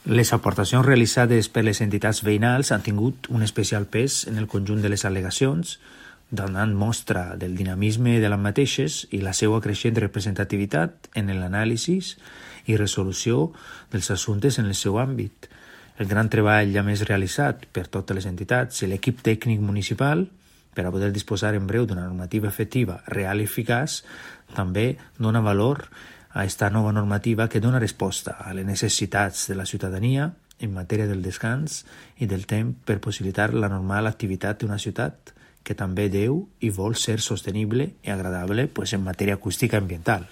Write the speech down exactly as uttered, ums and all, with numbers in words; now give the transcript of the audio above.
Les aportacions realitzades per les entitats veïnals han tingut un especial pes en el conjunt de les al·legacions, donant mostra del dinamisme de les mateixes i la seva creixent representativitat en l'anàlisi i resolució dels assumptes en el seu àmbit. El gran treball ja més realitzat per totes les entitats i l'equip tècnic municipal per a poder disposar en breu d'una normativa efectiva, real i eficaç, també dona valor a aquesta nova normativa que dona resposta a les necessitats de la ciutadania en matèria del descans i del temps per possibilitar la normal activitat d'una ciutat que també deu i vol ser sostenible i agradable pues, en matèria acústica i ambiental.